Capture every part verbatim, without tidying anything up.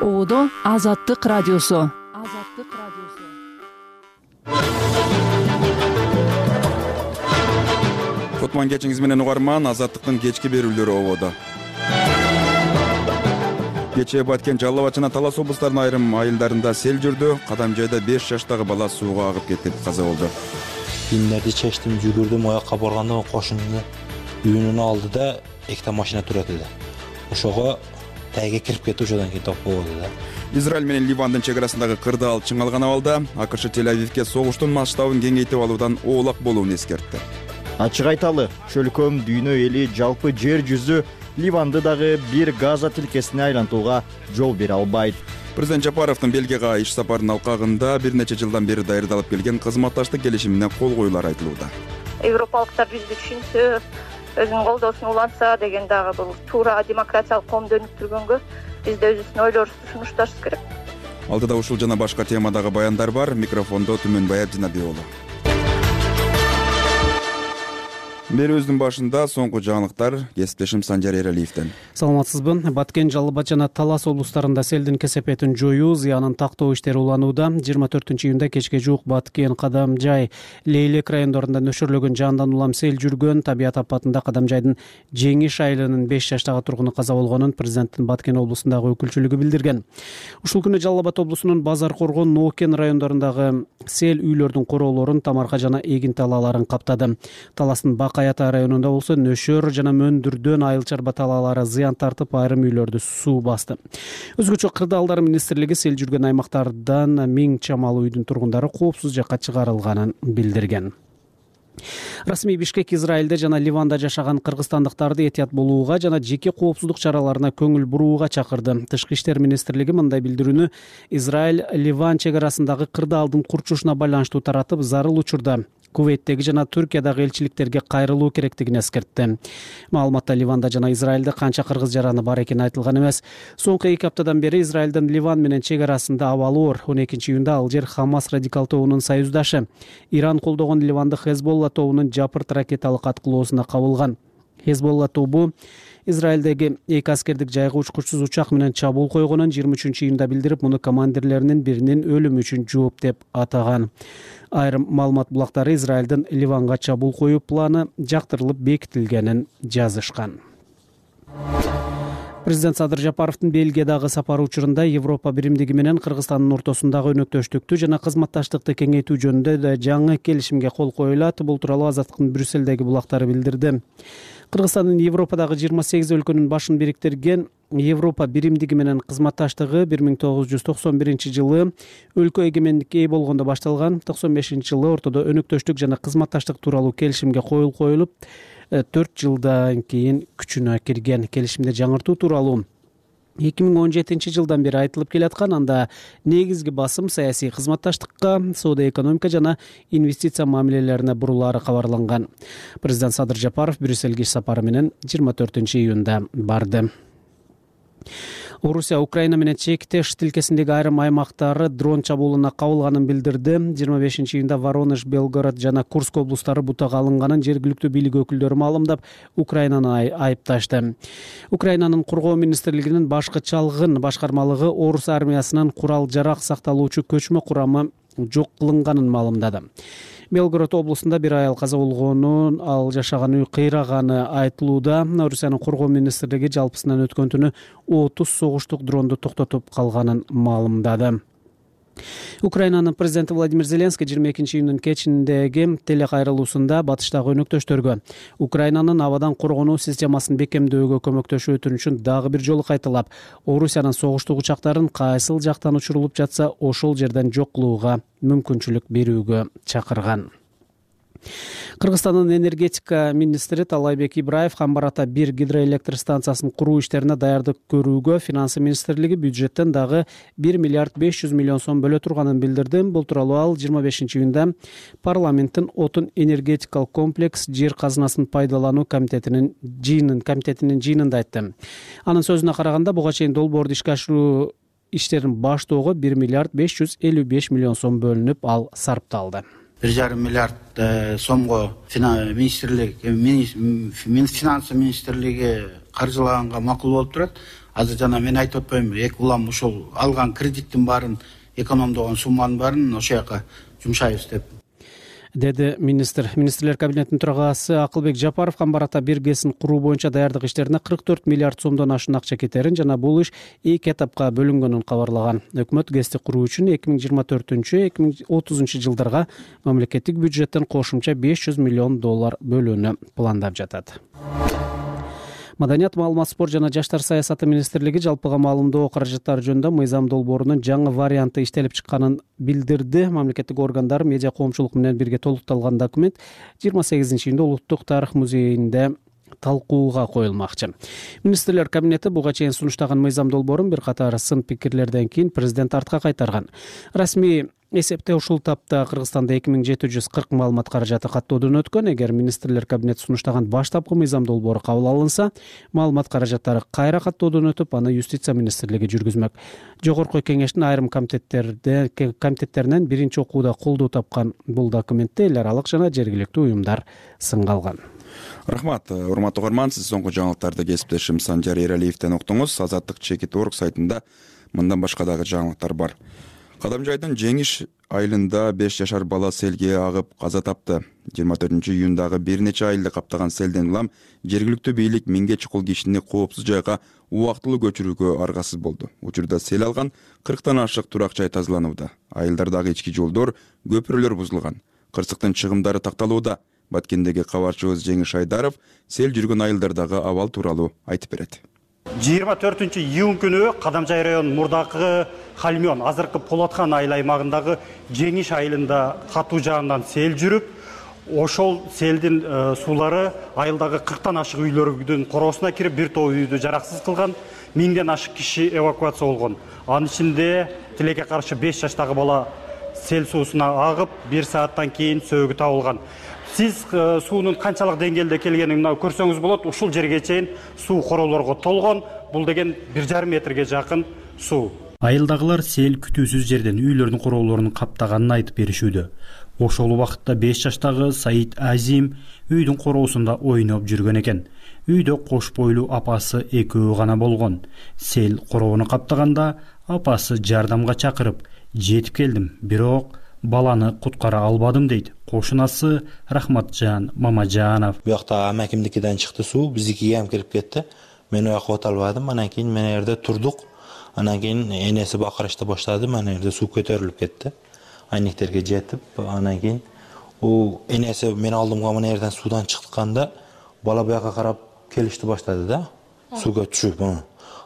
Оодо Азаттык радиосу. Азаттык радиосу. Кутман кечиңиз менен угарман, Азаттыктын кечки берүүлөрү ободо. Кечээ Баткен, Жалал Абад жана Талас облустарынын айрым айылдарында сел жүрдү. Кадамжайда беш жаштагы бала сууга агып кетип каза болду. Кийимдерди чечтим, жүгүрдүм, аяка барганда кошунду үйүнөн алды да экте машина турат эле. Ошого тайга кирип кетти, ошодон кийин топ болду да. Израиль менен Ливандын чек арасындагы кырдаал чыңалган абалда АКШ Тель-Авивке согуштун масштабын кеңейтип алуудан оолак болуун эскертти. Ачык айталы, чөлкөм дүйнө эли жалпы жер жүзү Ливанды дагы бир Газа тилкесине айлантууга жол бере албайт. Президент Жапаровдун Бельгияга иш сапарынын алкагында бир нече жылдан бери даярдалып келген кызматташтык келишимине кол коюулар айтылууда. Европалыктар бизди түшүнсө, өзүнүн колдоосун улантса деген дагы бул туура демократиялык коомду өнүктүргөнгө биз да өзүбүздүн ойлорубузду сунушташыбыз керек. Алдыда ушул жана башка темадагы баяндар бар. Микрофондо Түмөнбай Абдинабек уулу. Берүүбүздүн башында соңку жаңылыктар кесиптешим Санжар Эралиевден. Саламатсызбы? Баткен, Жалал Абад жана Талас облустарында селдин кесепетин жоюу, зыянын тактоо иштери уланууда. жыйырма төртүнчү июнда кечке жуук Баткен, Кадамжай, Лейлек райондорунда нөшөрлөгөн жандан улам сел жүргөн. Табият апатында Кадамжайдын Жеңиш айылынын беш жаштагы тургуну каза болгонун президенттин Баткен облусундагы өкүлчүлүгү билдирген. Ушул күнү Жалал Абад облусунун Базар Коргон, Ноокен райондорундагы сел үйлөрдүн короолорун, тамарка жана эгин талааларын каптады. Таластын Каята районунда болсо нөшөр жана мөндүрдөн айыл-чарба талаалары зыян тартып, айрым үйлөрдү суу басты. Өзгөчө кырдаалдар министрлиги сел жүргөн аймактардан миң чамал үйдүн тургундары коопсуз жакка чыгарылганын билдирген. Расмий Бишкек Израилде жана Ливанда жашаган кыргызстандыктарды этият болууга жана жеке коопсуздук чараларына көңүл бурууга чакырды. Тышкы иштер министрлиги мындай билдирүүнү Израиль-Ливан чек арасындагы кырдаалдын курчушуна байланыштуу таратып, зарыл учурда Кувейттеги жана Түркиядагы элчиликтерге кайрылуу керектигин эскертти. Маалыматта Ливанда жана Израилде канча кыргыз жараны бар экени айтылган эмес. Соңку эки аптадан бери Израилдин Ливан менен чек арасында абалы оор. он экинчи июнда ал жер Хамас радикал тобунун союздашы. Иран колдогон Ливандык Хезболла тобунун жапырт ракеталык аткылоосуна кабылган. Хезболла тобу Израилдеги эки аскердик жайгы учкучсуз учак менен чабуул койгонун жыйырма үчүнчү июнда билдирип, муну командирлеринин биринин өлүмү үчүн жооп деп атаган. Айрым маалымат булактары Израилдин Ливанга чабуул коюу планы жактырылып бекитилгенин жазышкан. Президент Садыр Жапаровдун Бельгиядагы сапары учурунда Европа биримдиги менен Кыргызстандын ортосундагы өнөктөштүктү жана кызматташтыкты кеңейтүү жөнүндө да жаңы келишимге кол коюлат. Бул тууралуу Азаттыктын Брюссельдеги булактары билдирди. Кыргызстандын Европадагы жыйырма сегиз өлкөнүн башын бириктирген Европа биримдиги менен кызматташтыгы бир миң тогуз жүз токсон биринчи жылы өлкө эгемендикке ээ болгондо башталган. токсон бешинчи жылы ортодо өнөктөштүк жана кызматташтык тууралуу келишимге кол коюлуп, төрт жылдан кийин күчүнө кирген. Келишимде жаңыртуу тууралуу эки миң он жетинчи жылдан бери айтылып келаткан. Анда негизги басым саясий кызматташтыкка, соода экономика жана инвестиция мамилелерине бурулаары кабарланган. Президент Садыр Жапаров Брюссельге иш сапары менен жыйырма төртүнчү июнда барды. Орусия Украина менен чектеш тилкесиндеги айрым аймактары дрон чабуулуна кабылганын билдирди. жыйырма бешинчи июнда Воронеж, Белгород жана Курск облустары бутага алынганын жергиликтүү бийлик өкүлдөрү маалымдап, Украинаны айыпташты. Украинанын коргоо министрлигинин башкы чалгын башкармалыгы орус армиясынын курал-жарак сакталуучу көчмө курамы жок кылынганын маалымдады. Белгород облусунда бир айыл каза болгонун, ал жашаган үй кыйраганы айтылууда. Орусиянын коргоо министрлиги жалпысынан өткөн түнү отуз согуштук дронду токтотуп калганын маалымдады. Украинанын президенти Владимир Зеленский жыйырма экинчи июндун кечиндеги телекайрылуусунда батыштагы өнөктөштөргө Украинанын абадан коргонуу системасын бекемдөөгө көмөктөшүү өтүнүчүн дагы бир жолу кайталап, Орусиянын согуштук учактарын кайсыл жактан учурулуп жатса, ошол жерден жок кылууга мүмкүнчүлүк берүүгө чакырган. Кыргызстандын энергетика министри Талайбек Ибраев Камбарата бир гидроэлектр станциясын куруу иштерине даярдык көрүүгө Финансы министрлиги бюджеттен дагы бир миллиард беш жүз миллион сом бөлө турганын билдирди. Бул тууралуу ал жыйырма бешинчи июнда парламенттин отун энергетикалык комплекс жер казынасын пайдалануу комитетинин жыйынын комитетинин жыйынында айтты. Анын сөзүнө караганда, буга чейин долбоорду ишке ашыруу иштерин баштоого бир миллиард беш жүз элүү беш миллион сом бөлүнүп, ал сарпталды. бир жарым миллиард сомго министрлик Финансы министрлиги каржылаганга макул болуп турат. Азыр жана мен айтып атпаймынбы, эки улам ушул алган кредиттин баарын, экономдогон сумманын баарын ошол жака жумшайбыз деп деди министр. Министрлер кабинетинин төрагасы Акылбек Жапаров Камбар ата биргесин куруу боюнча даярдык иштерине кырк төрт миллиард сомдон ашуун акча кетерин жана бул иш эки этапка бөлүнгөнүн кабарлаган. Өкмөт ГЭСти куруу үчүн эки миң жыйырма төртүнчү эки миң отузунчу жылдарга мамлекеттик бюджеттен кошумча беш жүз миллион доллар бөлүүнү пландап жатат. Маданият, маалымат, спорт жана жаштар саясаты министрлиги жалпыга маалымдоо каражаттары жөнүндө мыйзам долбоорунун жаңы варианты иштелип чыкканын билдирди. Мамлекеттик органдар медиа коомчулук менен бирге толукталган документ жыйырма сегизинчи июнда Улуттук тарых музейинде талкууга коюлмакчы. Министрлер кабинети буга чейин сунуштаган мыйзам долбоорун бир катар сын пикирлерден кийин президент артка кайтарган. Расмий эсепте ушул тапта Кыргызстанда эки миң жети жүз кырк маалымат каражаты каттоодон өткөн. Эгер министрлер кабинети сунуштаган баштапкы мыйзам долбоору кабыл алынса, маалымат каражаттары кайра каттоодон өтүп, аны юстиция министрлиги жүргүзмөк. Жогорку кеңештин айрым комитеттерде комитеттеринен биринчи окууда колдоо тапкан бул документте эл аралык жана жергиликтүү уюмдар сынга алган. Рахмат, урматтуу угарман, сиз соңку жаңылыктарды кесиптешим Санжар Эралиевден уктуңуз. Азаттык чекит орг сайтында мындан башка дагы жаңылыктар бар. Кадамжайдын Жеңиш айылында беш жашар бала селге агып каза тапты. жыйырма төртүнчү июндагы бир нече айылды каптаган селден улам жергиликтүү бийлик миңге чукул кишини коопсуз жайга убактылуу көчүрүүгө аргасыз болду. Учурда сел алган кырктан ашык турак жай тазаланууда. Айылдардагы ички жолдор, көпүрөлөр бузулган. Кырсыктын чыгымдары такталууда. Баткендеги кабарчыбыз Жеңиш Айдаров сел жүргөн айылдардагы абал тууралуу айтып берет. жыйырма төртүнчү июнь күнү Кадамжай районунун мурдакы Халмён, азыркы Полаткан айыл аймагындагы Жеңиш айылында катуу жаандан сел жүрүп, ошол селдин суулары айылдагы кырктан ашык үйлөрдүн короосуна кирип, бир топ үйдү жараксыз кылган, миңден ашык киши эвакуация болгон. Анын ичинде тилекке каршы беш жаштагы бала сел суусуна агып, бир сааттан кийин сөөгү табылган. Сиз суунун канчалык деңгээлде келгенин мына көрсөңүз болот. Ушул жерге чейин суу короолорго толгон. Бул деген бир жарым метрге жакын суу. Айылдагылар сел күтүүсүз жерден үйлөрдүн короолорун каптаганын айтып беришүүдө. Ошол убакытта беш жаштагы Саид Азим үйдүн короосунда ойноп жүргөн экен. Үйдө кош бойлуу апасы экөө гана болгон. Сел короону каптаганда апасы жардамга чакырып, жетип келдим, бирок баланы куткара албадым дейт кошунасы Рахматжан Мамажанов. Буякта амакимдикиден чыкты суу, биздикиге ham кирип кетти. Мен оякка өтө албадым. Анан кийин мен жерде турдук. Анан кийин энеси бакырышты баштады. Мен жерде суу көтөрүлүп кетти. Айниктерге жетип, анан кийин у энеси мен алдымга мен жерден суудан чыкканда бала буякка карап келишти баштады да. Суга түшүп,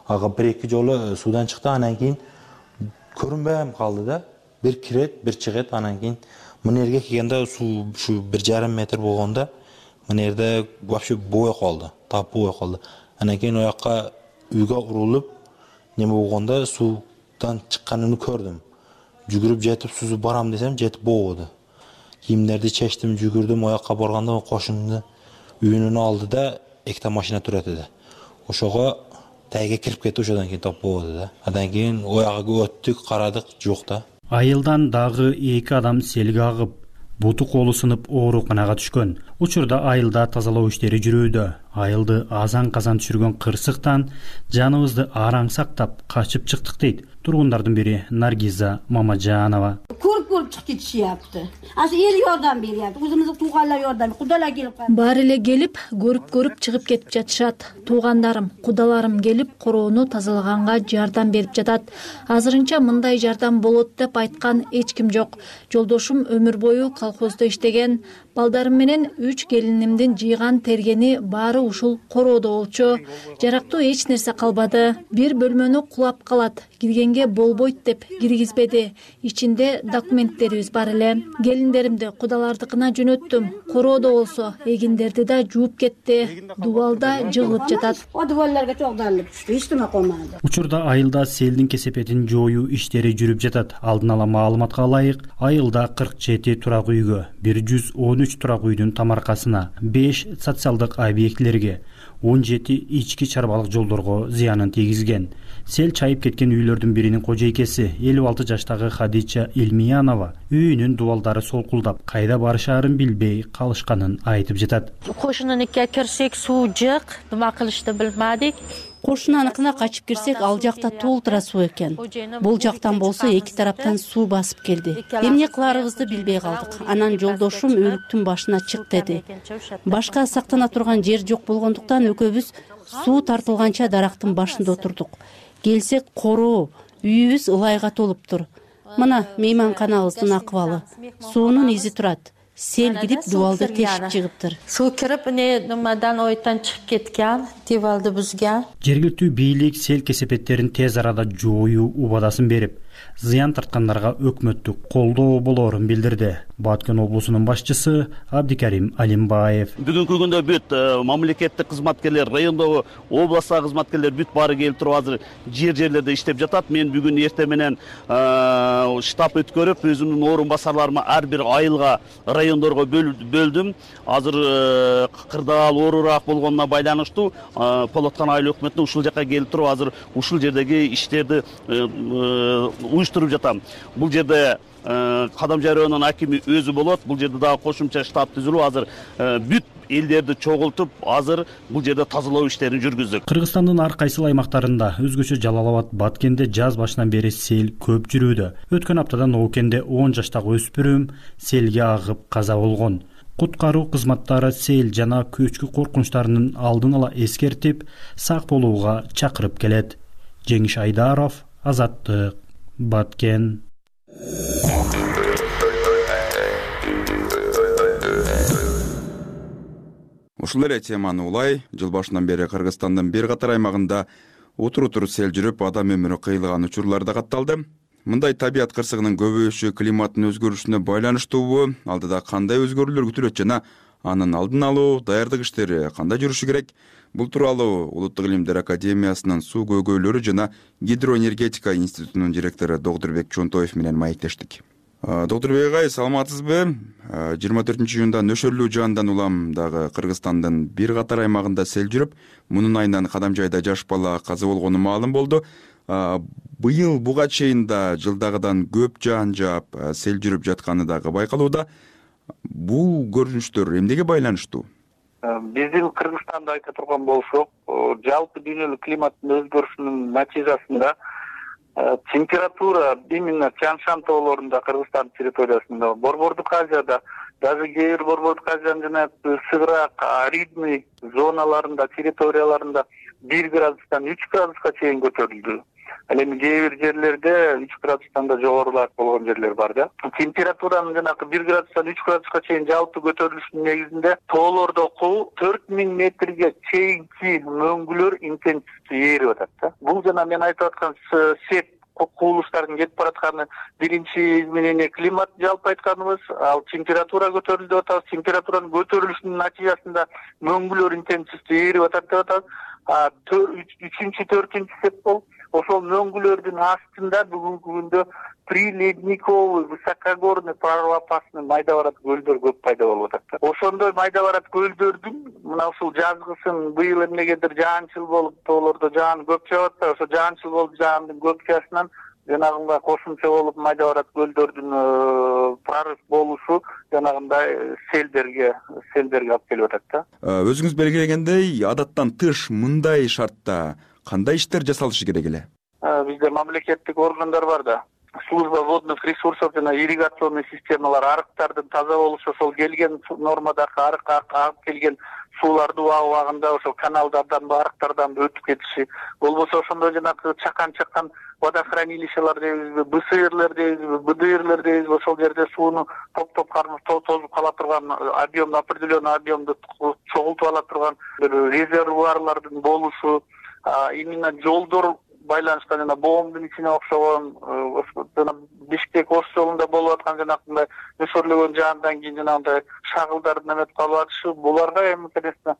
ага бир-эки жолу суудан чыкты, анан кийин көрүнбөй калды да. Бир кирет, бир чыгат, анан кийин мына жерге келгенде суу ушу бир жарым метр болгондо мына жерде вообще бой калды, тап бой калды. Анан кийин оякка үйгө урулуп, неме болгондо суудан чыкканын көрдүм. Жүгүрүп жетип сузуп барам десем, жетип болбоду. Кийимдерди чечтим, жүгүрдүм, оякка барганда кошумду үйүнүн алдыда экте машина турат эди. Ошого тайга кирип кетти, ошодон кийин тап болбоду да. Андан кийин оягга өттүк, карадык, жок да. Айылдан дагы эки адам селге агып, буту колу сынып ооруканага түшкөн. Учурда айылда тазалоо иштери жүрүүдө. Айылды азан-казан түшүргөн кырсыктан жаныбызды араң сактап качып чыктык дейт тургундардын бири Наргиза Мамажанова. Көрүп-көрүп чыгып кетишиптир. Азыр эл жардам берет, өзүмүздүн туугандар жардам, кудалар келип калды. Баары эле келип, көрүп-көрүп чыгып кетип жатышат. Туугандарым, кудаларым келип, короону тазалаганга жардам берип жатат. Азырынча мындай жардам болот деп айткан эч ким жок. Жолдошум өмүр бою колхоздо иштеген, балдарым менен үч келинимдин жыйган тергени баары ушул короодо болчу. Жарактуу эч нерсе калбады. Бир бөлмөнү кулап калат. Киргенге болбойт деп киргизбеди. Ичинде документтерибиз бар эле. Келиндеримди кудалардыкына жөнөттүм. Короодо болсо эгиндерди да жууп кетти. Дубалда жыгылып жатат. О дубалдарга чогдалып түштү, эч неме кылмады. Учурда айылда селдин кесепетин жоюу иштери жүрүп жатат. Алдын ала маалыматка ылайык, айылда кырк жети турак үйгө, бир жүз он үч турак үйдүн тамаркасына, беш социалдык объектилерге, он жети ички чарбалык жолдорго зыянын тийгизген. Сел чайып кеткен үйлөрдүн биринин кожойкеси элүү алты жаштагы Хадича Элмиянова үйүнүн дубалдары солкулдап, кайда барышаарын билбей калышканын айтып жатат. Кошунунукка кирсек суу жок, нема кылышты билмадик. Кошунаныкына качып кирсек, ал жакта толтура суу экен. Бул жактан болсо эки тараптан суу басып келди. Эмне кыларыбызды билбей калдык. Анан жолдошум өлүктүн башына чык деди. Башка сактана турган жер жок болгондуктан экөөбүз суу тартылганча дарактын башында отурдук. Келсек короо, үйүбүз ылайга толуптур. Мына мейманканабыздын акыбалы. Суунун изи турат. Сел кирип дубалды тешип чыгыптыр. Суу кирип, эмне нумадан ойтан чыгып кеткен, дубалды бузган. Жергиликтүү бийлик сел кесепеттерин тез арада жоюу убадасын берип, зыян тарткандарга өкмөттүк колдоо болоорун билдирди. Баткен облусунун башчысы Абдикарим Алимбаев. Бүгүнкү күндө бүт мамлекеттик кызматкерлер, райондогу областагы кызматкерлер бүт баары келип туруп азыр жер жерлерде иштеп жатат. Мен бүгүн эртең менен штаб өткөрүп, өзүмдүн орун басарларыма ар бир айылга, райондорго бөлдүм. Азыр кырдаал оорураак болгонуна байланыштуу Полоткан айыл өкмөтүнө ушул жака келип туруп, азыр ушул жердеги иштерди уюштуруп жатам. Бул жерде Кадамжай районунун акими өзү болот. Бул жерде дагы кошумча штаб түзүлүп, азыр бүт элдерди чогултуп, азыр бул жерде тазалоо иштерин жүргүздүк. Кыргызстандын ар кайсы аймактарында, өзгөчө Жалал Абад, Баткенде жаз башынан бери сел көп жүрүүдө. Өткөн аптада Ноокенде он жаштагы өспүрүм селге агып каза болгон. Куткаруу кызматтары сел жана көчкү коркунучтарынын алдын ала эскертип, сак болууга чакырып келет. Жеңиш Айдаров, Азаттык, Баткен. Ушул эле теманы улай жыл башынан бери Кыргызстандын бир катар аймагында утур-утур сел жүрүп, адам өмүрү кыйылган учурлар да катталды. Мындай табият кырсыгынын көбөйүшү климаттын өзгөрүшүнө байланыштуубу, алдыда кандай өзгөрүүлөр күтүлөт жана анын алдын алуу, даярдык иштери кандай жүрүшү керек? Бул тууралуу Улуттук илимдер академиясынын суу көйгөйлөрү жана гидроэнергетика институтунун директору Докторбек Чонтоев менен маектештик. Докторбек агай, саламатсызбы? жыйырма төртүнчү июнда нөшөрлүү жаандан улам дагы Кыргызстандын бир катар аймагында сел жүрүп, мунун айынан Кадамжайда жаш бала каза болгону маалым болду. Быйыл буга чейин да жылдагыдан көп жаан жаап, сел жүрүп жатканы дагы байкалууда. Бул көрүнүштөр эмнеге байланыштуу? Биздин Кыргызстанда айта турган болсок, жалпы дүйнөлүк климаттын өзгөрүшүнүн натыйжасында температура именно Тянь-Шань тоолорунда, Кыргызстан территориясында, Борбордук Азияда, даже кээ бир Борбордук Азиянын жана сыгыраак аридный зоналарында, территорияларында бир градустан үч градуска чейин көтөрүлдү. Ал эми кээ бир жерлерде үч градустан да жогорулаак болгон жерлер бар да. Температуранын жанагы бир градустан үч градуска чейин жалпы көтөрүлүшүнүн негизинде тоолордогу төрт миң метрге чейинки мөңгүлөр интенсивдүү ээрип атат да. Бул жана мен айтып аткан сеп куулуштардын кетип баратканы биринчи изменение климат жалпы айтканыбыз, ал температура көтөрүлдү деп атабыз. Температуранын көтөрүлүшүнүн натыйжасында мөңгүлөр интенсивдүү ээрип атат деп атабыз. Үчүнчү, төртүнчү сеп бол ошол мөңгүлөрдүн астында бүгүнкү күндө приледниковый, высокогорный, прорвопасный майда барат көлдөр көп пайда болуп атат. Ошондой майда барат көлдөрдүн мына ушул жазгысын быйыл эмнегедир жаанчыл болуп, тоолордо жаан көп жаап атат. Ошо жаанчыл болуп жаандын көпчасынан жанагындай кошумча болуп майда барат көлдөрдүн прорыв болушу жанагындай селдерге селдерге алып келип атат да. Өзүңүз белгилегендей, адаттан тыш мындай шартта кандай иштер жасалышы керек эле? Бизде мамлекеттик органдар бар да. Служба водных ресурсов жана ирригационный системалар, арыктардын таза болушу, ошол келген нормадагы арыкка агып келген сууларды убагында ошол каналдардан, арыктардан өтүп кетиши, болбосо ошондой жанагы чакан чакан водохранилищелер дейбизби, бэ эс эрлер дейбизби, бэ дэ эрлер дейбизби, ошол жерде сууну топтоп тозуп кала турган объем, определенный объемду чогултуп ала турган бир резервуарлардын болушу, именно жолдор байланышкан жана боомдун ичине окшогон жана Бишкек Ош жолунда болуп аткан жанагындай нөшөрлөгөн жаандан кийин жанагындай шагылдардын эметип калып атышы, буларга эми конечно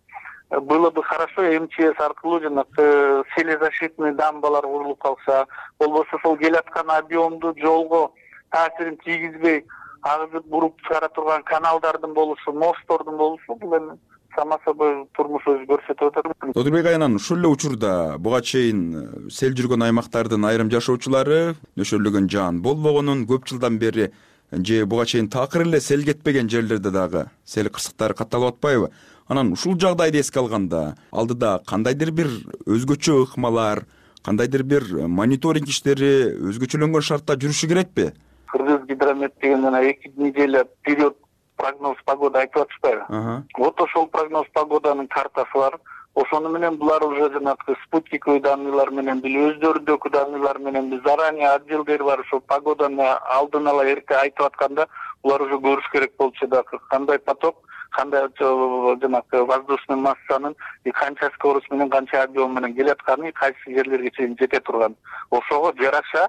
было бы хорошо эм че эс аркылуу жанагы селезащитный дамбалар курулуп калса, болбосо ошол келаткан объемду жолго таасирин тийгизбей агызып буруп чыгара турган каналдардын болушу, мосттордун болушу, бул эми само собой турмушубуз көрсөтүп атат. Тодурбек Аянан, ушул эле учурда буга чейин сел жүргөн аймактардын айрым жашоочулары нөшөрлөгөн жаан болбогонун, көп жылдан бери же буга чейин такыр эле сел кетпеген жерлерде дагы сел кырсыктары катталып атпайбы? Анан ушул жагдайды эске алганда алдыда кандайдыр бир өзгөчө ыкмалар, кандайдыр бир мониторинг иштери өзгөчөлөнгөн шартта жүрүшү керекпи? Кыргыз гидромет деген жана эки неделя период прогноз погода айтып атышпайбы? Вот ошол прогноз погоданын картасы бар. Ошону менен булар уже жанагы спутниковый данныйлар менен били, өздөрүндөгү данныйлар менен били, заранее отделдери бар, ошол погоданы алдын ала эрке айтып атканда булар уже көрүш керек болчу да, кандай поток, кандай жанагы воздушный массанын канча скорость менен, канча объем менен келатканы, кайсы жерлерге чейин жете турган. Ошого жараша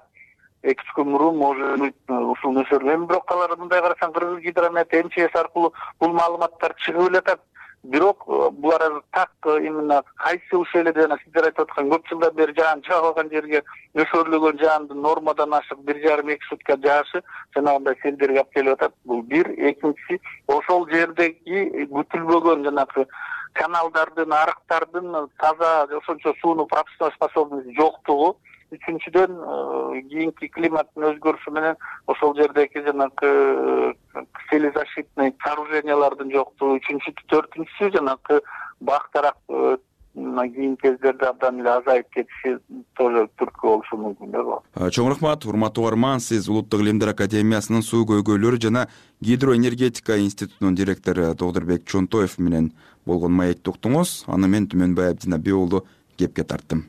эки үч күн мурун может быть ушул нөшөрлөр. Бирок алар мындай карасаң Кыргыз гидромет эм че эс аркылуу бул маалыматтар чыгып эле атат. Бирок булар азыр так именно кайсы ушул эле жана сиздер айтып аткан көп жылдан бери жаан жааган жерге нөшөрлөгөн жаандын нормадан ашык бир жарым эки сутка жаашы жанагындай селдерге алып келип атат. Бул бир. Экинчиси, ошол жердеги күтүлбөгөн жанагы каналдардын, арыктардын таза ошончо сууну пропускной способности жоктугу. Үчүнчүдөн кийинки климаттын өзгөрүшү менен ошол жердеги жанагы селезащитный сооружениялардын жоктугу. Үчүнчү, төртүнчүсү жанагы бактарак кийинки кездерде абдан эле азайып кетиши тоже түрткү болушу мүмкүн да. Чоң рахмат, урматтуу угарман, сиз Улуттук илимдер академиясынын суу көйгөйлөр жана гидроэнергетика институтунун директору Тодурбек Чонтоев менен болгон маекти уктуңуз. Аны мен Түмөнбай Абдинабий уулу кепке тарттым.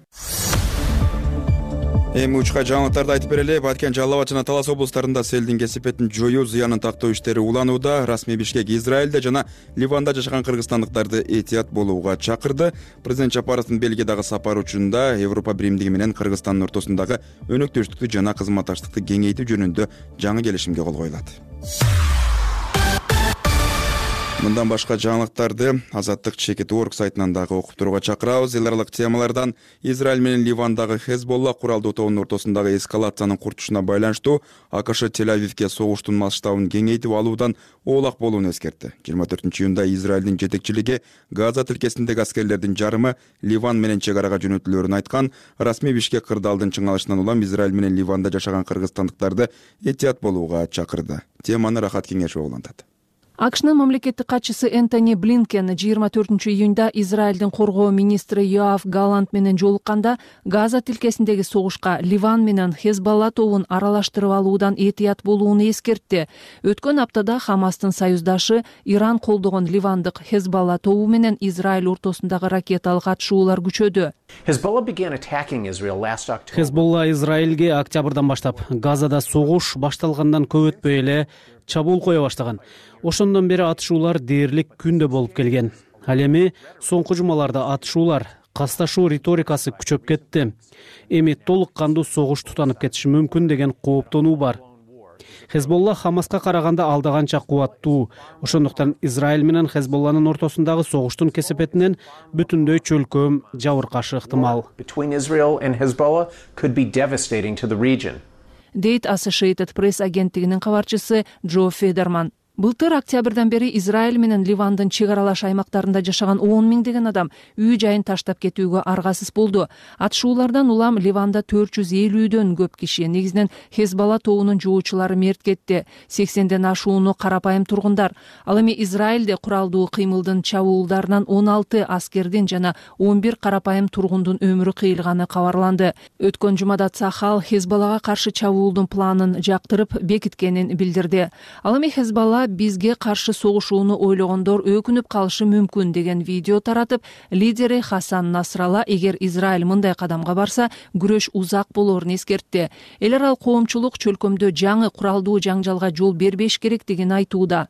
Эми учка жаңылыктарды айтып берели. Баткен, Жалал Абад жана Талас облустарында селдин кесепетин жоюу зыянын тактоо иштери уланууда. Расмий Бишкек Израилде жана Ливанда жашаган кыргызстандыктарды этият болууга чакырды. Президент Жапаровдун Бельгиядагы сапары учурунда Европа биримдиги менен Кыргызстандын ортосундагы өнөктөштүктү жана кызматташтыкты кеңейтүү жөнүндө жаңы келишимге кол коюлат. Мындан башка жаңылыктарды Азаттык чекит орг сайтынан дагы окуп турууга чакырабыз. Эл аралык темалардан Израиль менен Ливандагы Хезболла куралдуу тобунун ортосундагы эскалациянын курчушуна байланыштуу АКШ Тель-Авивге согуштун масштабын кеңейтип алуудан оолак болууну эскертти. жыйырма төртүнчү июнда Израилдин жетекчилиги Газа тилкесиндеги аскерлердин жарымы Ливан менен чек арага жөнөтүлөөрүн айткан. Расмий Бишкек кырдаалдын чыңалышынан улам Израиль менен Ливанда жашаган кыргызстандыктарды этият болууга чакырды. Теманы Рахат Кеңешова улантат. АКШнын мамлекеттик катчысы Энтони Блинкен жыйырма төртүнчү июнда Израилдин коргоо министри Йоав Галлант менен жолукканда Газа тилкесиндеги согушка Ливан менен Хезболла тобун аралаштырып алуудан этият болууну эскертти. Өткөн аптада Хамастын союздашы Иран колдогон ливандык Хезболла тобу менен Израиль ортосундагы ракеталык атышуулар күчөдү. Хезболла Израилге октябрдан баштап Газада согуш башталгандан көп өтпөй эле чабуул кое баштаган. Ошондон бери атышуулар дээрлик күндө болуп келген. Ал эми соңку жумаларда атышуулар, касташуу риторикасы күчөп кетти. Эми толук кандуу согуш тутанып кетиши мүмкүн деген кооптонуу бар. Хезболла Хамаска караганда алдаганча кубаттуу. Ошондуктан Израиль менен Хезболланын ортосундагы согуштун кесепетинен бүтүндөй чөлкөм жабыркашы ыктымал. Дейт Associated Press агенттигинин кабарчысы Джо Федерман. Былтыр октябрдан бери Израиль менен Ливандын чек аралаш аймактарында жашаган он миңдеген адам үй жайын таштап кетүүгө аргасыз болду. Атышуулардан улам Ливанда төрт жүз элүүдөн көп киши, негизинен Хезболла тобунун жоочулары мерт кетти. сексенден ашууну карапайым тургундар. Ал эми Израилде куралдуу кыймылдын чабуулдарынан он алты аскердин жана он бир карапайым тургундун өмүрү кыйылганы кабарланды. Өткөн жумада Цахал Хезболлага каршы чабуулдун планын жактырып бекиткенин билдирди. Ал эми Хезболла бизге каршы согушууну ойлогондор өкүнүп калышы мүмкүн деген видео таратып, лидери Хасан Насралла эгер Израиль мындай кадамга барса, күрөш узак болоорун эскертти. Эл аралык коомчулук чөлкөмдө жаңы куралдуу жаңжалга жол бербеш керектигин айтууда.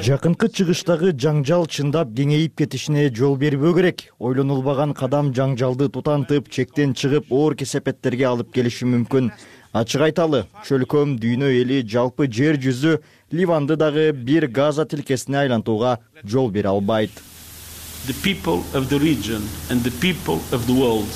Жакынкы чыгыштагы жаңжал чындап кеңейип кетишине жол бербөө керек. Ойлонулбаган кадам жаңжалды тутантып, чектен чыгып, оор кесепеттерге алып келиши мүмкүн. Ачык айталы, чөлкөм дүйнө эли жалпы жер жүзү Ливанды дагы бир Газа тилкесине айлантууга жол бере албайт. The people of the region and the people of the world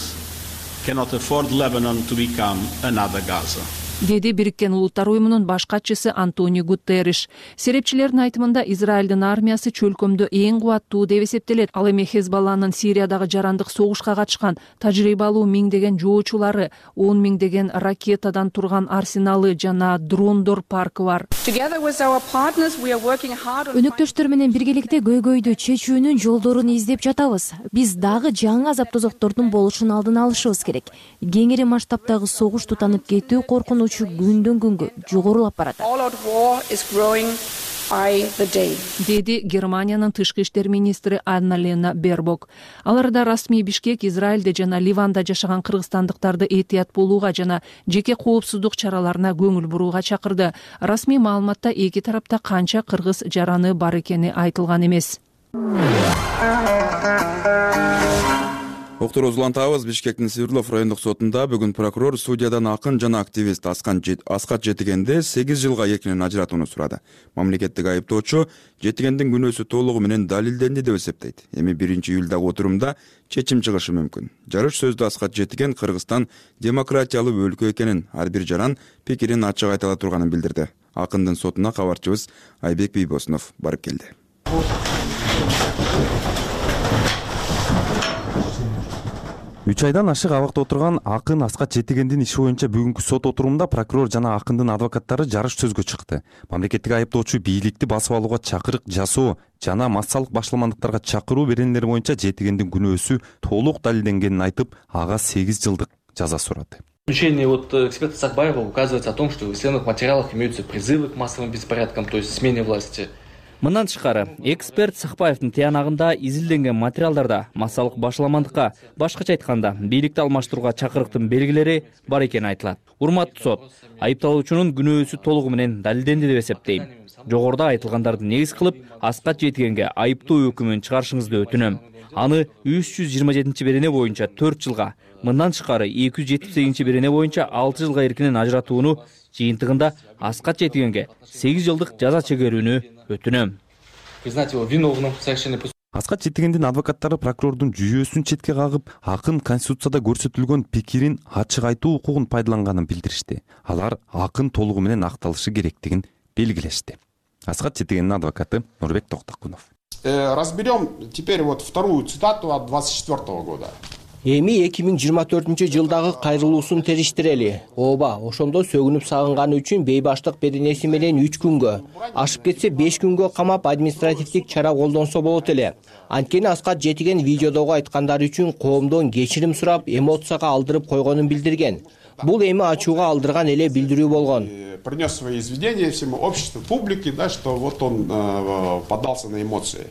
cannot afford Lebanon to become another Gaza. деди Бириккен Улуттар уюмунун баш катчысы Антонио Гутерриш. Серепчилердин айтымында Израилдин армиясы чөлкөмдө эң кубаттуу деп эсептелет. Ал эми Хезбалланын Сириядагы жарандык согушка катышкан тажрыйбалуу миңдеген жоочулары, он миңдеген ракетадан турган арсеналы жана дрондор паркы бар. Өнөктөштөр менен биргеликте көйгөйдү чечүүнүн жолдорун издеп жатабыз. Биз дагы жаңы азап тозоктордун болушун алдын алышыбыз керек. Кеңири масштабтагы согуш тутанып кетүү коркунучу күндөн күнгө жогорулап барат, деди Германиянын тышкы иштер министри Анна-Лена Бербок. Аларда расмий Бишкек Израилде жана Ливанда жашаган кыргызстандыктарды этият болууга жана жеке коопсуздук чараларына көңүл бурууга чакырды. Расмий маалыматта эки тарапта канча кыргыз жараны бар экени айтылган эмес. Октурубузду улантабыз. Бишкектин Свердлов райондук сотунда бүгүн прокурор судьядан акын жана активист Аскат Жетигенди сегиз жылга эркинен ажыратууну сурады. Мамлекеттик айыптоочу Жетигендин күнөөсү толугу менен далилденди деп эсептейт. Эми биринчи июлдагы отурумда чечим чыгышы мүмкүн. Жарыш сөздө Аскат Жетиген Кыргызстан демократиялуу өлкө экенин, ар бир жаран пикирин ачык айта ала турганын билдирди. Акындын сотуна кабарчыбыз Айбек Бийбосунов барып келди. үч айдан ашык абакта отурган акын Аскат Жетигендин иши боюнча бүгүнкү сот отурумунда прокурор жана акындын адвокаттары жарыш сөзгө чыкты. Мамлекеттик айыптоочу бийликти басып алууга чакырык жасоо жана массалык башаламандыктарга чакыруу беренелери боюнча Жетигендин күнөөсү толук далилденгенин айтып, ага сегиз жылдык жаза сурады. В заключении вот эксперта Сакбаева указывается о том, что в исследованных материалах имеются призывы к массовым беспорядкам, то есть смене власти. Мындан тышкары, эксперт Сакбаевдин тыянагында изилденген материалдарда массалык башаламандыкка, башкача айтканда, бийликти алмаштырууга чакырыктын белгилери бар экени айтылат. Урматтуу сот, айыпталуучунун күнөөсү толугу менен далилденди деп эсептейм. Жогоруда айтылгандарды негиз кылып, Аскат Жетигенге айыптоо өкүмүн чыгарышыңызды өтүнөм. Аны үч жүз жыйырма жетинчи берене боюнча төрт жылга, мындан тышкары эки жүз жетимиш сегизинчи берене боюнча алты жылга эркинен ажыратууну, жыйынтыгында Аскат Жетигенге сегиз жылдык жаза чегерүүнү өтүнөм. Признать его виновным в совершении. Аскат Жетигендин адвокаттары прокурордун жүйөөсүн четке кагып, акын Конституцияда көрсөтүлгөн пикирин ачык айтуу укугун пайдаланганын билдиришти. Алар акын толугу менен акталышы керектигин белгилешти. Аскат Жетигендин адвокаты Нурбек Токтокунов. Разберем теперь вот вторую цитату от двадцать четвёртого года. Эми эки миң жыйырма төртүнчү жылдагы кайрылуусун териштирели. Ооба, ошондо сөгүнүп сагынганы үчүн бейбаштык беренеси менен үч күнгө, ашып кетсе беш күнгө камап административдик чара колдонсо болот эле. Анткени Аскат Жетиген видеодогу айткандары үчүн коомдон кечирим сурап, эмоцияга алдырып койгонун билдирген. Бул эми ачууга алдырган эле билдирүү болгон. Принес свои извинения всему обществу, публике, да, что вот он э, поддался на эмоции.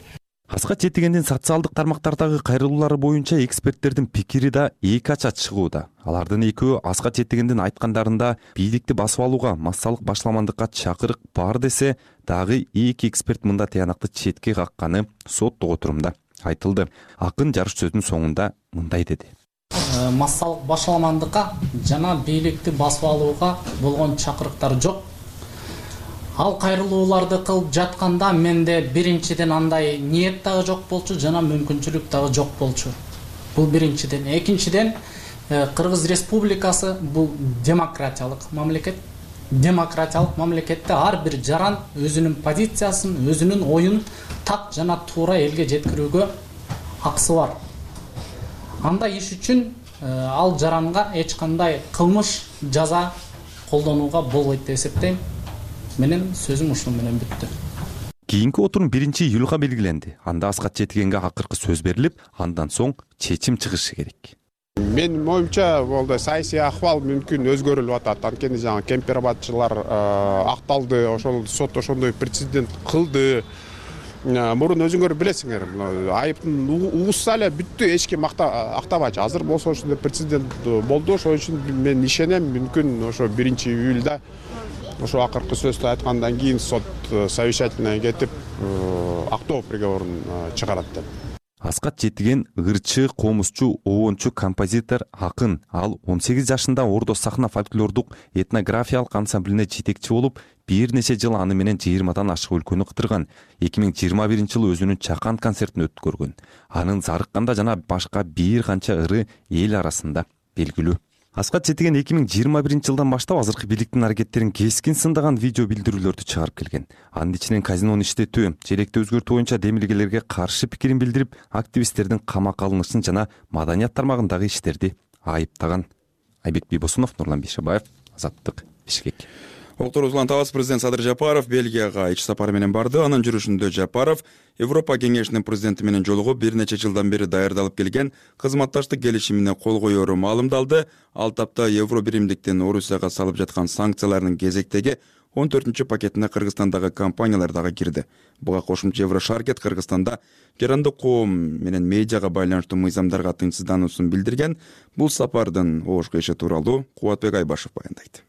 Аскат Жетигендин социалдык тармактардагы кайрылуулары боюнча эксперттердин пикири да эки ача чыгууда. Алардын экөө Аскат Жетигендин айткандарында бийликти басып алууга, массалык башаламандыкка чакырык бар десе, дагы эки эксперт мында тыянакты четке какканы соттук отурумда айтылды. Акын жарыш сөзүнүн соңунда мындай деди. Массалык башаламандыкка жана бийликти басып алууга болгон чакырыктар жок. Ал кайрылууларды кылып жатканда менде биринчиден андай ниет дагы жок болчу, жана мүмкүнчүлүк дагы жок болчу. Бул биринчиден. Экинчиден, Кыргыз Республикасы бул демократиялык мамлекет. Демократиялык мамлекетте ар бир жаран өзүнүн позициясын, өзүнүн оюн так жана туура элге жеткирүүгө акысы бар. Андай иш үчүн ал жаранга эч кандай кылмыш жаза колдонууга болбойт деп эсептейм. Менин сөзүм ушун менен бүттү. Кийинки отурум биринчи июлга белгиленди. Анда Аскат Жетигенге акыркы сөз берилип, андан соң чечим чыгышы керек. Менин оюмча, болду саясий акыбал мүмкүн өзгөрүлүп атат. Анткени жаңы кемпир-абадчылар акталды, ошол сот ошондой прецедент кылды. Мурун өзүңөр билесиңер, айыптын угушса эле бүттү, эч ким актабачы. Азыр болсо ошондой прецедент болду, ошон үчүн мен ишенем, мүмкүн ошо биринчи июлда ошо акыркы сөздү айткандан кийин сот совещательная кетип, актоо приговорун чыгарат деп. Аскат Жетиген ырчы, комузчу, обончу, композитор, акын. Ал он сегиз жашында Ордо сахна фольклордук этнографиялык ансамблине жетекчи болуп, бир нече жыл аны менен жыйырмадан ашык өлкөнү кыдырган. эки миң жыйырма биринчи жылы өзүнүн чакан концертин өткөргөн. Анын Зарыкканда жана башка бир канча ыры эл арасында белгилүү. аска четиген эки миң жыйырма биринчи жылдан баштап азыркы бийликтин аракеттерин кескин сындаган видео билдирүүлөрдү чыгарып келген. Анын ичинен казинону иштетүү, желекти өзгөртүү боюнча демилгелерге каршы пикирин билдирип, активисттердин камакка алынышын жана маданият тармагындагы иштерди айыптаган. Айбек Бийбосунов, Нурлан Бейшебаев, Азаттык, Бишкек. Уктурубуздан табас президент Садыр Жапаров Бельгияга ич сапар менен барды. Анын жүрүшүндө Жапаров Европа кеңешинин президенти менен жолугуп, бир нече жылдан бери даярдалып келген кызматташтык келишимине кол коеру маалымдалды. Ал тапта Евро биримдиктин Орусияга салып жаткан санкцияларынын кезектеги он төртүнчү пакетине Кыргызстандагы компаниялар дагы кирди. Буга кошумча Еврошаркет Кыргызстанда жарандык коом менен медиага байланыштуу мыйзамдарга тынчсыздануусун билдирген. Бул сапардын оошку иши тууралуу Кубатбек Айбашев баяндайт.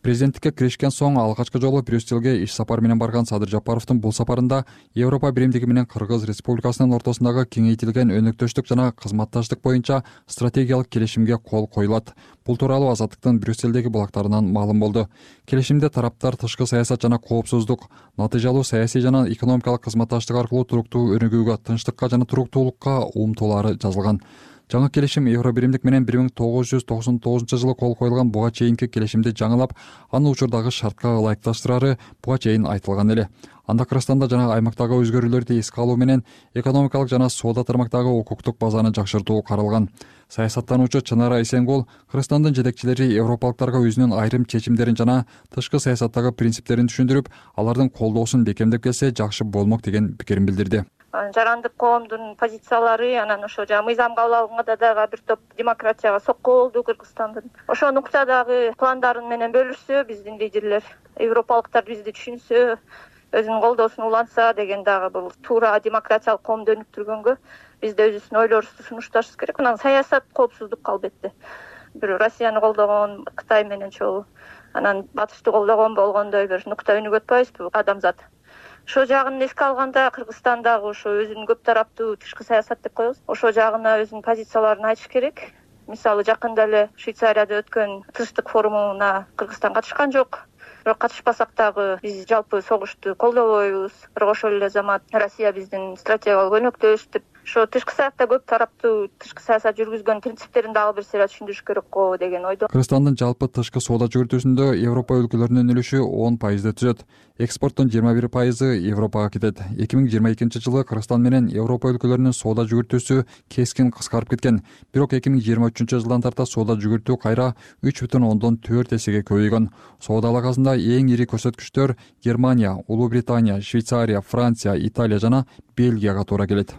Президенттикке киришкен соң алгачкы жолу Брюсселге иш сапар менен барган Садыр Жапаровдун бул сапарында Европа биримдиги менен Кыргыз Республикасынын ортосундагы кеңейтилген өнөктөштүк жана кызматташтык боюнча стратегиялык келишимге кол коюлат. Бул тууралуу Азаттыктын Брюсселдеги булактарынан маалым болду. Келишимде тараптар тышкы саясат жана коопсуздук, натыйжалуу саясий жана экономикалык кызматташтык аркылуу туруктуу өнүгүүгө, тынчтыкка жана туруктуулукка умтулаары жазылган. Жаңы келишим Евро биримдик менен бир миң тогуз жүз токсон тогузунчу жылы кол коюлган буга чейинки келишимди жаңылап, аны учурдагы шартка ылайыкташтырары буга чейин айтылган эле. Анда Кыргызстанда жана аймактагы өзгөрүүлөрдү эске алуу менен экономикалык жана соода тармактагы укуктук базаны жакшыртуу каралган. Саясаттануучу Чынара Исенгул Кыргызстандын жетекчилери европалыктарга өзүнүн айрым чечимдерин жана тышкы саясаттагы принциптерин түшүндүрүп, алардын колдоосун бекемдеп келсе жакшы болмок деген пикирин билдирди. Жарандык коомдун позициялары анан ошо жана мыйзам кабыл алганда дагы бир топ демократияга сокко болду Кыргызстандын. Ошол нуктадагы пландарын менен бөлүшсө, биздин лидерлер, европалыктар бизди түшүнсө, өзүнүн колдоосун улантса деген дагы бул туура демократиялык коомду өнүктүргөнгө биз да өзүбүздүн ойлорубузду сунушташыбыз керек. Анан саясат коопсуздук албетте. Бир Россияны колдогон, Кытай менен чогуу, анан Батышты колдогон болгондой бир нукта өнүгүп атпайбызбы адамзат. Ошо жагын эске алганда Кыргызстандагы ошо өзүнүн көп тараптуу тышкы саясат деп коебуз. Ошо жагына өзүнүн позицияларын айтыш керек. Мисалы жакында эле Швейцарияда өткөн тынчтык форумуна Кыргызстан катышкан жок. Бирок катышпасак дагы биз жалпы согушту колдобойбуз. Бирок ошол эле замат Россия биздин стратегиялык өнөктөш деп ошо тышкы саякта көп тараптуу тышкы саясат жүргүзгөн принциптерин дагы бир сыйра түшүндүрүш керек го деген ойдо. Кыргызстандын жалпы тышкы соода жүгүртүүсүндө Европа өлкөлөрүнүн үлүшү он пайызды түзөт. Экспорттун жыйырма бир пайызы Европага кетет. эки миң жыйырма экинчи жылы Кыргызстан менен Европа өлкөлөрүнүн соода жүгүртүүсү кескин кыскарып кеткен. Бирок эки миң жыйырма үчүнчү жылдан тарта соода жүгүртүү кайра үч бүтүн ондон төрт эсеге көбөйгөн. Соода алакасында эң ири көрсөткүчтөр Германия, Улуу Британия, Швейцария, Франция, Италия жана Бельгияга туура келет.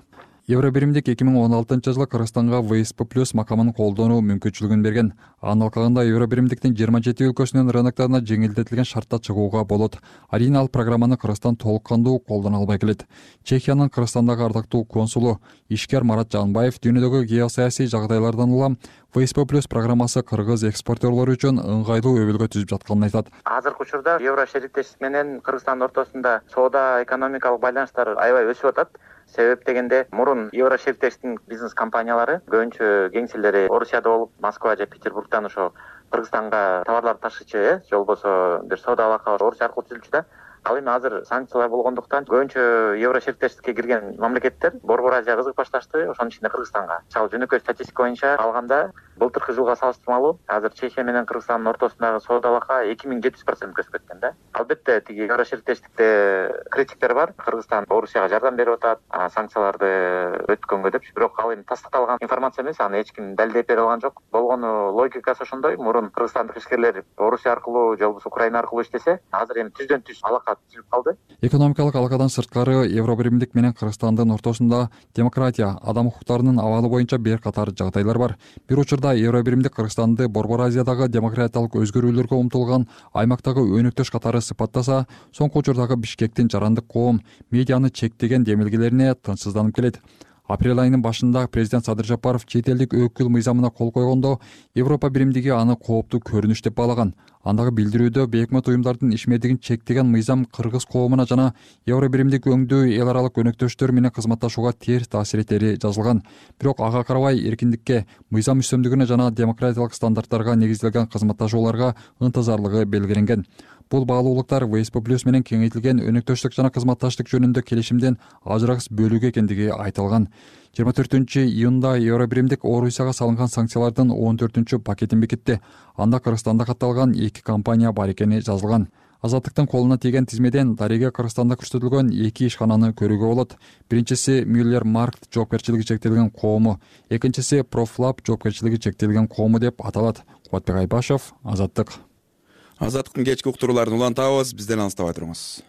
Евро биримдик эки миң он алтынчы жылы Кыргызстанга вэ эс пэ плюс макамын колдонуу мүмкүнчүлүгүн берген. Анын алкагында Евро биримдиктин жыйырма жети өлкөсүнүн рыноктарына жеңилдетилген шартта чыгууга болот. Арийне ал программаны Кыргызстан толук кандуу колдоно албай келет. Чехиянын Кыргызстандагы ардактуу консулу ишкер Марат Жанбаев дүйнөдөгү геосаясий жагдайлардан улам вэ эс пэ плюс программасы кыргыз экспортерлору үчүн ыңгайлуу өбөлгө түзүп жатканын айтат. Азыркы учурда Евро шериктештик менен Кыргызстандын ортосунда соода экономикалык байланыштар аябай өсүп атат. Себеп дегенде мурун Евро шериктештиктин бизнес компаниялары көбүнчө кеңселери Орусияда болуп, Москва же Петербургдан ошо Кыргызстанга товарларды ташычу, э, же болбосо бир соода алака Орусия аркылуу түзүлчү да. Ал эми азыр санкциялар болгондуктан көбүнчө Евро шериктештикке кирген мамлекеттер Борбор Азия кызык башташты, ошонун ичинде Кыргызстанга. Мисалы жөнөкөй статистика боюнча алганда былтыркы жылга салыштырмалуу азыр Чехия менен Кыргызстандын ортосундагы соода алака эки миң жети жүз процент өсүп кеткен да. Албетте тиги Евро шериктештикте критиктер бар. Кыргызстан Орусияга жардам берип атат, санкцияларды өткөнгө деп. Бирок ал эми тастыкталган информация эмес, аны эч ким далилдеп бере алган жок. Болгону логикасы ошондой. Мурун кыргызстандык ишкерлер Орусия аркылуу же болбосо Украина аркылуу иштесе, азыр эми түздөн түз алака түзүлүп калды. Экономикалык алакадан сырткары Евро биримдик менен Кыргызстандын ортосунда демократия, адам укуктарынын абалы боюнча бир катар жагдайлар бар. Бир учурда Евро биримдик Кыргызстанды Борбор Азиядагы демократиялык өзгөрүүлөргө умтулган аймактагы өнөктөш катары сыпаттаса, соңку учурдагы Бишкектин жарандык коом медианы чектеген демилгелерине тынчсызданып келет. Апрель айынын башында президент Садыр Жапаров чет элдик өкүл мыйзамына кол койгондо Европа биримдиги аны кооптуу көрүнүш деп баалаган. Андагы билдирүүдө бейөкмөт уюмдардын ишмердигин чектеген мыйзам кыргыз коомуна жана Евро биримдик өңдүү эл аралык өнөктөштөр менен кызматташууга терс таасир этери жазылган. Бирок ага карабай эркиндикке, мыйзам үстөмдүгүнө жана демократиялык стандарттарга негизделген кызматташууларга ынтызарлыгы белгиленген. бул баалуулуктар в с п плюс менен кеңейтилген өнөктөштүк жана кызматташтык жөнүндө келишимдин ажырагыс бөлүгү экендиги айтылган. жыйырма төртүнчү июнда Евробиримдик Орусияга салынган санкциялардын он төртүнчү пакетин бекитти. Анда Кыргызстанда катталган эки компания бар экени жазылган. Азаттыктын колуна тийген тизмеден дареге Кыргызстанда көрсөтүлгөн эки ишкананы көрүүгө болот. Биринчиси Мюллер Маркт жоопкерчилиги чектелген коому, экинчиси Профлаб жоопкерчилиги чектелген коому деп аталат. Кубатбек Айбашев, Азаттык. Азаттыктын кечки уктурууларын улантабыз, бизден алыстабай туруңуз.